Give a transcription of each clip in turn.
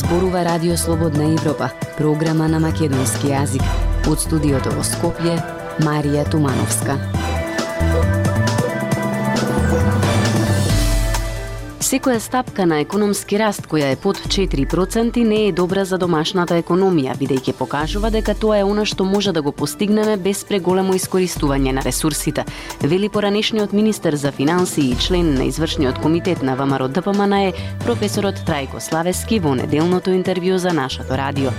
Зборува Радио Слободна Европа, програма на македонски јазик. Од студиото во Скопје, Марија Тумановска. Секоја стапка на економски раст која е под 4% не е добра за домашната економија, бидејќи покажува дека тоа е она што може да го постигнеме без преголемо искористување на ресурсите, вели поранешниот министер за финансии и член на извршниот комитет на ВМРО ДПМН професорот Трајко Славески во неделното интервју за нашето радио.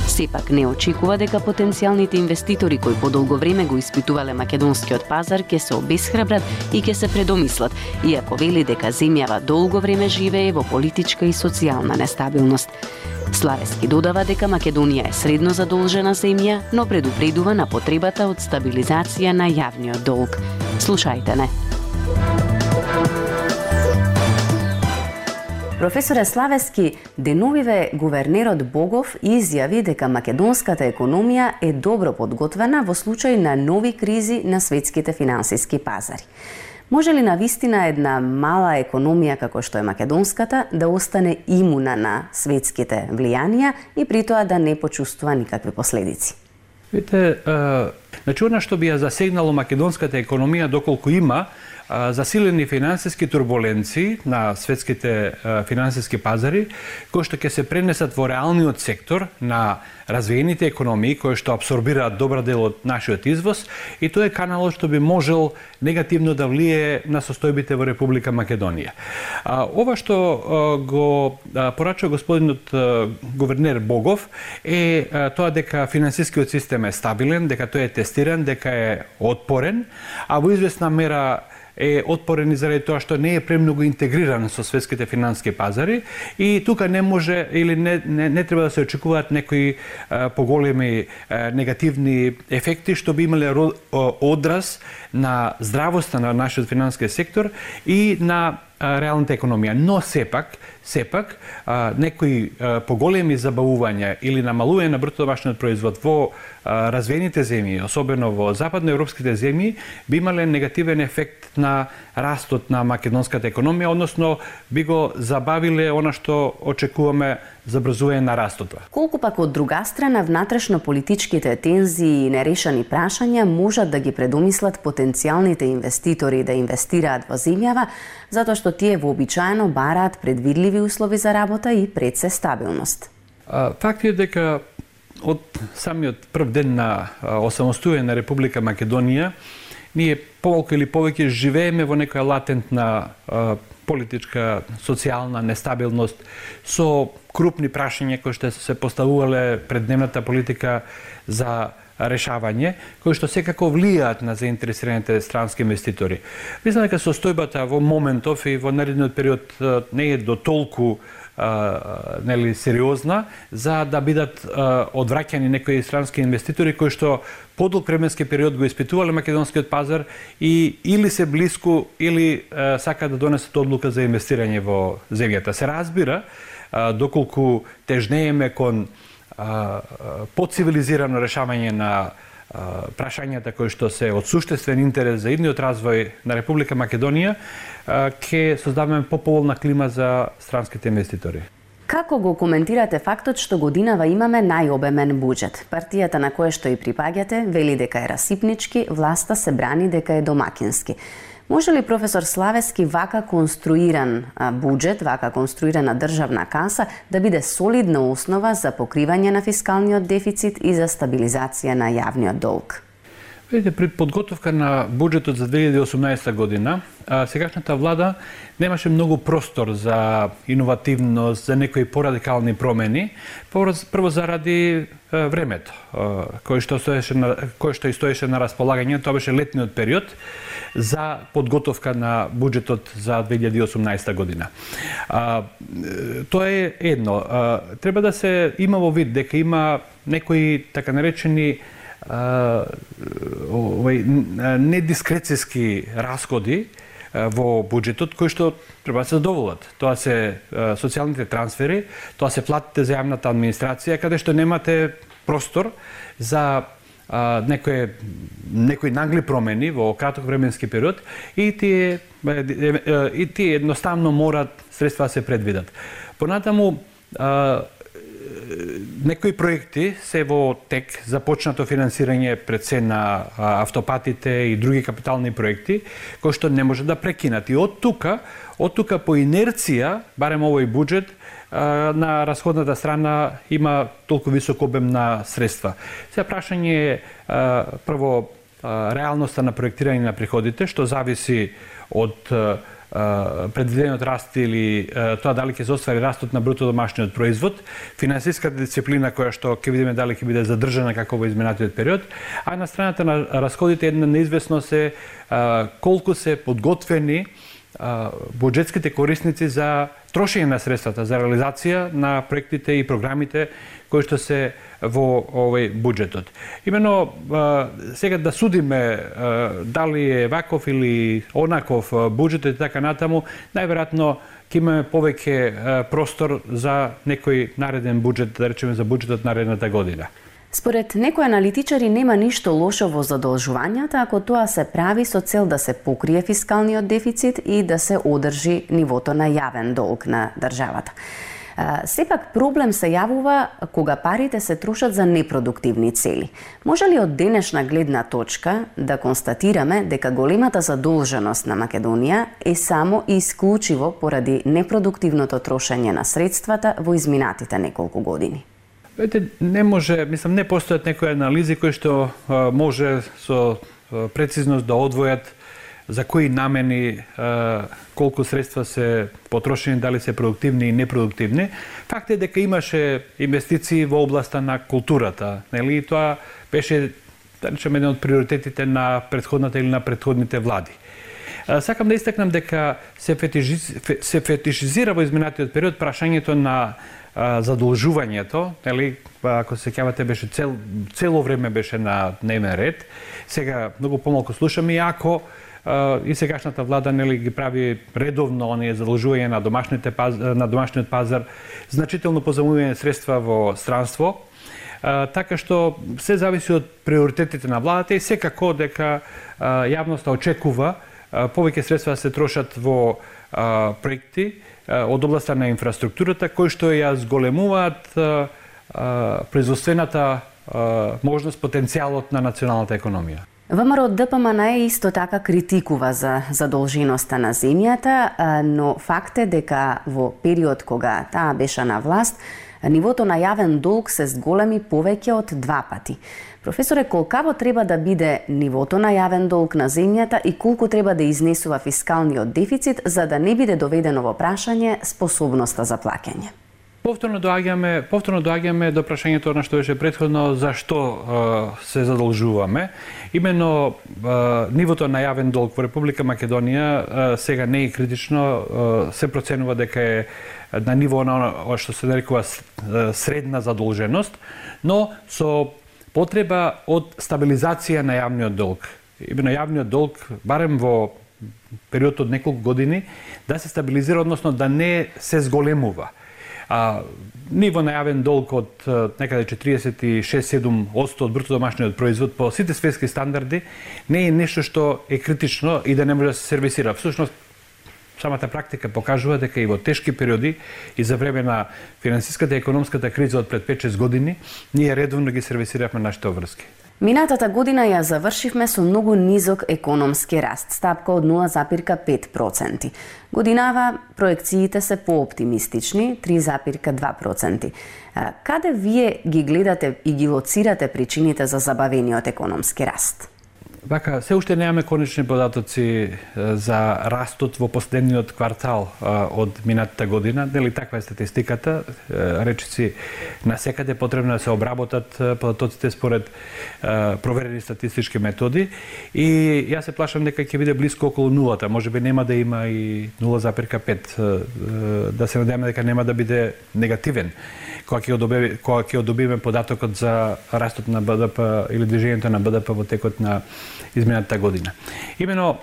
Сепак не очекува дека потенцијалните инвеститори кои подолго време го испитувале македонскиот пазар ќе се обесхрабрат и ќе се предомислат, иако вели дека земјава долго време живее во политичка и социјална нестабилност. Славески додава дека Македонија е средно задолжена земја, но предупредува на потребата од стабилизација на јавниот долг. Слушајте не. Професоре Славески, деновиве гувернерот Богов изјави дека македонската економија е добро подготвена во случај на нови кризи на светските финансиски пазари. Може ли навистина една мала економија како што е македонската да остане имуна на светските влијанија и при тоа да не почувствува никакви последици? Видите, она што би ја засегнало македонската економија доколку има засилени финансиски турбуленции на светските финансиски пазари, кои што ќе се пренесат во реалниот сектор на развиените економии, кои што абсорбираат добра дел од нашиот извоз, и тоа е каналот што би можел негативно да влие на состојбите во Република Македонија. Ова што го порачува господинот гувернер Богов е тоа дека финансискиот систем е стабилен, дека тој е тестиран, дека е отпорен, а во известна мера е отпорен и заради тоа што не е премногу интегриран со светските финансиски пазари и тука не може или не треба да се очекуваат некои поголеми негативни ефекти што би имале одраз на здравоста на нашиот финансиски сектор и на реалната економија. Но сепак некои поголеми забавувања или намалување на бруто домашниот производ во развиените земји, особено во западноевропските земји, би имале негативен ефект на растот на македонската економија, односно би го забавиле она што очекуваме забрзување на растот. Колку пак од друга страна внатрешно политичките тензии и нерешени прашања можат да ги предомислат потенцијалните инвеститори да инвестираат во земјава, затоа што тие вообичаено бараат предвидливи услови за работа и пред се стабилност. Факт е дека од самиот прв ден на осамостојување на Република Македонија ние помалку или повеќе живееме во некоја латентна политичка, социјална нестабилност со крупни прашања кои што се поставувале пред дневната политика за решавање, кои што секако влијаат на заинтересираните странски инвеститори. Мислам дека состојбата во моментов и во наредниот период не е до толку сериозна за да бидат одвраќани некои странски инвеститори кои што подолг временски период го испитувале македонскиот пазар и или се блиску или сакаат да донесат одлука за инвестирање во земјата. Се разбира доколку тежнееме кон поцивилизирано решавање на прашањата кои што се од суштествен интерес за идниот развој на Република Македонија, ќе создаваме поповолна клима за странските инвеститори. Како го коментирате фактот што годинава имаме најобемен буџет? Партијата на која што и припаѓате вели дека е расипнички, власта се брани дека е домакински. Може ли професор Славески вака конструиран буџет, вака конструирана државна каса да биде солидна основа за покривање на фискалниот дефицит и за стабилизација на јавниот долг? Видите, при подготовка на буџетот за 2018 година, сегашната влада немаше многу простор за иновативност, за некои порадикални промени, прво заради времето, кој што стоеше на располагање, тоа беше летниот период за подготовка на буџетот за 2018 година. Тоа е едно. Треба да се има во вид дека има некои така наречени недискрецијски расходи во буџетот кои што треба да се задоволат. Тоа се социјалните трансфери, тоа се платите за јавната администрација, каде што немате простор за некои нагли промени во краток временски период и тие едноставно морат средства да се предвидат. Понатаму некои проекти се во тек, започнато финансирање пред се на автопатите и други капитални проекти, кои што не може да прекинат. И од тука по инерција, барем овој буџет, на расходната страна има толку висок обем на средства. Сега прашање е прво реалноста на проектирање на приходите, што зависи од предвидениот раст или тоа дали ќе се оствари растот на бруто домашниот производ, финансиската дисциплина која што ќе видиме дали ќе биде задржана како во изминатиот период, а на страната на расходите една неизвестност е колку се подготвени буџетските корисници за трошење на средствата, за реализација на проектите и програмите кои што се во овој буџетот. Имено, сега да судиме дали е ваков или онаков буџетот и така натаму, најверојатно ќе имаме повеќе простор за некој нареден буџет, да речеме за буџетот наредната година. Според некои аналитичари нема ништо лошо во задолжувањата ако тоа се прави со цел да се покрие фискалниот дефицит и да се одржи нивото на јавен долг на државата. Сепак проблем се јавува кога парите се трошат за непродуктивни цели. Може ли од денешна гледна точка да констатираме дека големата задолженост на Македонија е само и исклучиво поради непродуктивното трошење на средствата во изминатите неколку години? Не може, мислам, не постојат некои анализи кои што може со прецизност да одвојат за кои намени колку средства се потрошени, дали се продуктивни и непродуктивни. Факт е дека имаше инвестиции во областа на културата, нели? Тоа беше, да речеме, еден од приоритетите на претходната или на претходните влади. Сакам да истакнам дека се фетишизира во изминатиот период прашањето на задолжувањето, нели, ако се сеќавате, беше цело време беше на дневен ред. Сега многу помалку слушаме, и ако и сегашната влада, нели, ги прави редовно оние задолжување на домашниот пазар, значително позајмување средства во странство, така што се зависи од приоритетите на владата и секако дека јавноста очекува повеќе средства да се трошат во проекти од областа на инфраструктурата, кои што ја зголемуваат производствената можност, потенцијалот на националната економија. ВМРО ДПМН исто така критикува за задолженоста на земјата, но факт е дека во период кога таа беше на власт, нивото на јавен долг се зголеми повеќе од 2 пати. Професоре, колкаво треба да биде нивото на јавен долг на земјата и колку треба да изнесува фискалниот дефицит за да не биде доведено во прашање способноста за плаќање? Повторно доаѓаме до прашањето на што беше претходно, зашто се задолжуваме. Именно нивото на јавен долг во Република Македонија сега не е критично, се проценува дека е на ниво на што се нарекува средна задолженост, но со потреба од стабилизација на јавниот долг. Именно јавниот долг, барем во период од неколку години, да се стабилизира, односно да не се зголемува. Ниво на јавен долг од некаде 46-7% од бруто домашниот производ по сите светски стандарди не е нешто што е критично и да не може да се сервисира. Всушност, самата практика покажува дека и во тешки периоди и за време на финансиската и економската криза од пред 5-6 години, ние редовно ги сервисиравме нашите обврски. Минатата година ја завршивме со многу низок економски раст, стапка од 0,5%. Годинава проекциите се пооптимистични, 3,2%. Каде вие ги гледате и ги лоцирате причините за забавениот економски раст? Вака, се уште немаме конечни податоци за растот во последниот квартал од минатата година. Дали таква е статистиката? Речиси, насекаде потребно да се обработат податоците според проверени статистички методи. И јас се плашам дека ќе биде близко околу нулата. Може би нема да има и 0,5. Да се надеваме дека нема да биде негативен кога ќе одобиме податокот за растот на БДП или движењето на БДП во текот на изминатата година. Имено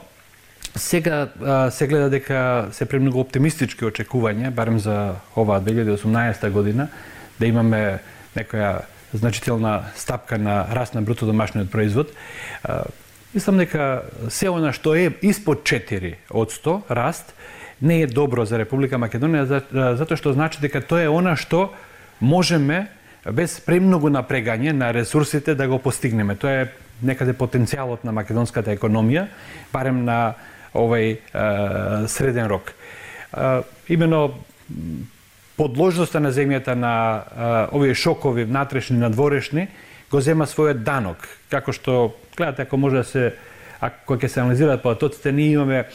сега се гледа дека се премногу оптимистички очекувања, барем за оваа 2018 година, да имаме некоја значителна стапка на раст на бруто домашниот производ. Мислам дека се она што е испод 4% раст не е добро за Република Македонија, затоа што значи дека тоа е она што можеме без премногу напрегање на ресурсите да го постигнеме. Тоа е некаде потенцијалот на македонската економија, барем на овој среден рок. Имено подложноста на земјата на овие шокови внатрешни, надворешни, го зема својот данок. Како што, гледате, ако може да се, ако ќе се анализираат потоците, ние имаме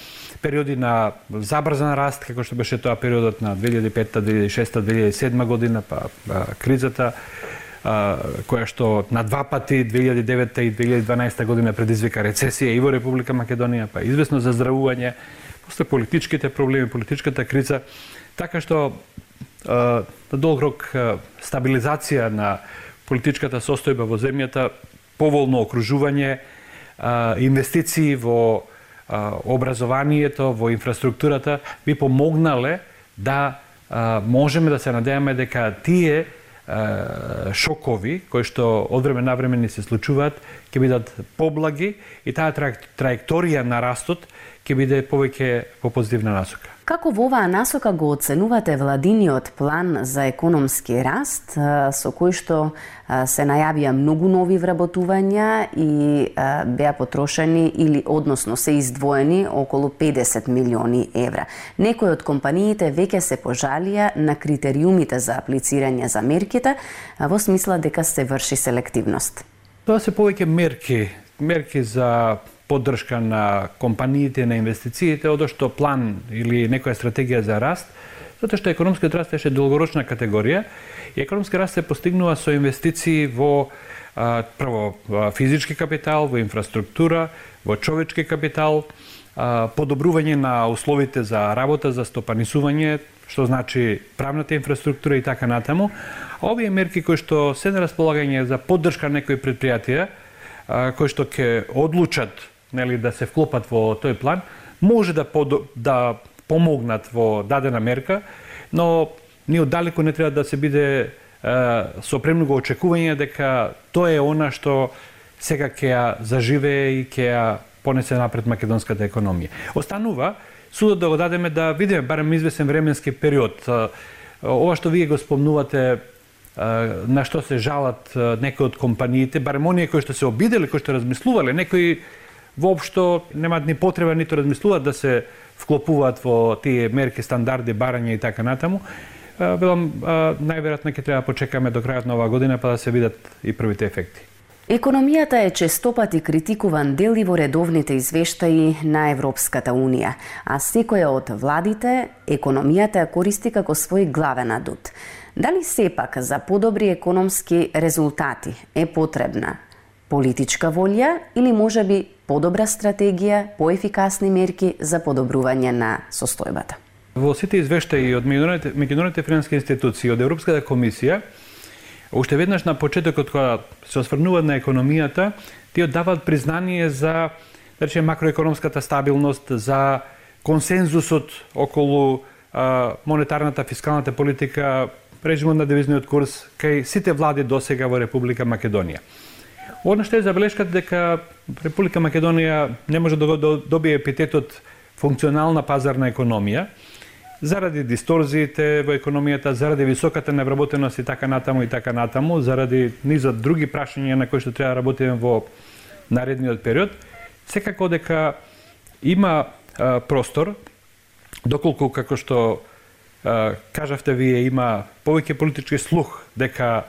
периоди на забрзан раст, како што беше тоа периодот на 2005, 2006, 2007 година, па кризата, која што на два пати 2009 и 2012 година предизвика рецесија и во Република Македонија, па известно заздравување, после политичките проблеми, политичката криза, така што на долг рок стабилизација на политичката состојба во земјата, поволно окружување, инвестиции во образованието, во инфраструктурата би помогнале да можеме да се надеваме дека тие шокови кои што од време на време ни се случуваат ќе бидат поблаги и таа траекторија на растот ќе биде повеќе по позитивна насока. Како во оваа насока го оценувате владиниот план за економски раст, со кој што се најавија многу нови вработувања и беа потрошени или односно се издвоени околу 50 милиони евра. Некои од компаниите веќе се пожалија на критериумите за аплицирање за мерките, во смисла дека се врши селективност. Тоа се повеќе мерки за поддршка на компаниите, на инвестициите, одошто план или некоја стратегија за раст, затоа што економскиот раст е долгорочна категорија и економски раст се постигнува со инвестиции во прво физички капитал, во инфраструктура, во човечки капитал, подобрување на условите за работа, за стопанисување, што значи правната инфраструктура и така натаму. Овие мерки кои што се на располагање за поддршка на некои предпријатија, кои што ќе одлучат да се вклопат во тој план, може да помогнат во дадена мерка, но ние оддалеку не треба да се биде со премногу очекување дека тоа е она што сега ќе ја заживее и ќе ја понесе напред македонската економија. Останува судот да го дадеме да видиме барем извесен временски период. Ова што вие го спомнувате, на што се жалат некои од компаниите, барем оние кои што се обидели, кои што размислувале, некои воопшто немаат ни потреба ниту размислуваат да се вклопуваат во тие мерки, стандарди, барања и така натаму. Велам, најверојатно ќе треба почекаме до крајот на оваа година па да се видат и првите ефекти. Економијата е честопати критикуван дел и во редовните извештаи на Европската Унија, а секоја од владите економијата ја користи како свој главен адут. Дали сепак за подобри економски резултати е потребна политичка волја или можеби подобра стратегија, поефикасни мерки за подобрување на состојбата? Во сите извештаи од меѓународните финансиски институции, од Европската комисија, уште веднаш на почетокот кога се осврнуваат на економијата, тие даваат признание за, да речеме, макроекономската стабилност, за консензусот околу монетарната, фискалната политика, режимот на девизниот курс кај сите влади досега во Република Македонија. Одно што е забелешката дека Република Македонија не може да добие епитетот функционална пазарна економија, заради дисторзиите во економијата, заради високата невработеност и така натаму, заради низот други прашања на кои што треба да работиме во наредниот период, секако дека има простор, доколку како што кажавте вие, има повеќе политички слух дека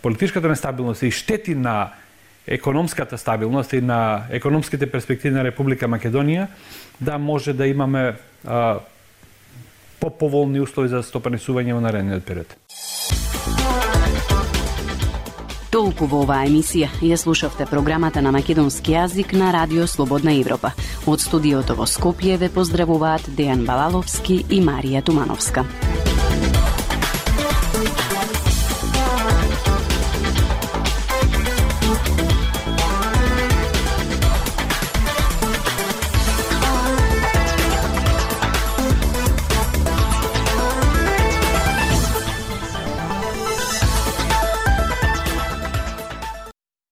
политичката нестабилност и штети на економската стабилност и на економските перспективи на Република Македонија, да може да имаме по-поволни услови за стопанисување во наредниот период. Толку во оваа емисија ја слушавте програмата на македонски јазик на Радио Слободна Европа. Од студиото во Скопје ве поздравуваат Дејан Балаловски и Марија Тумановска.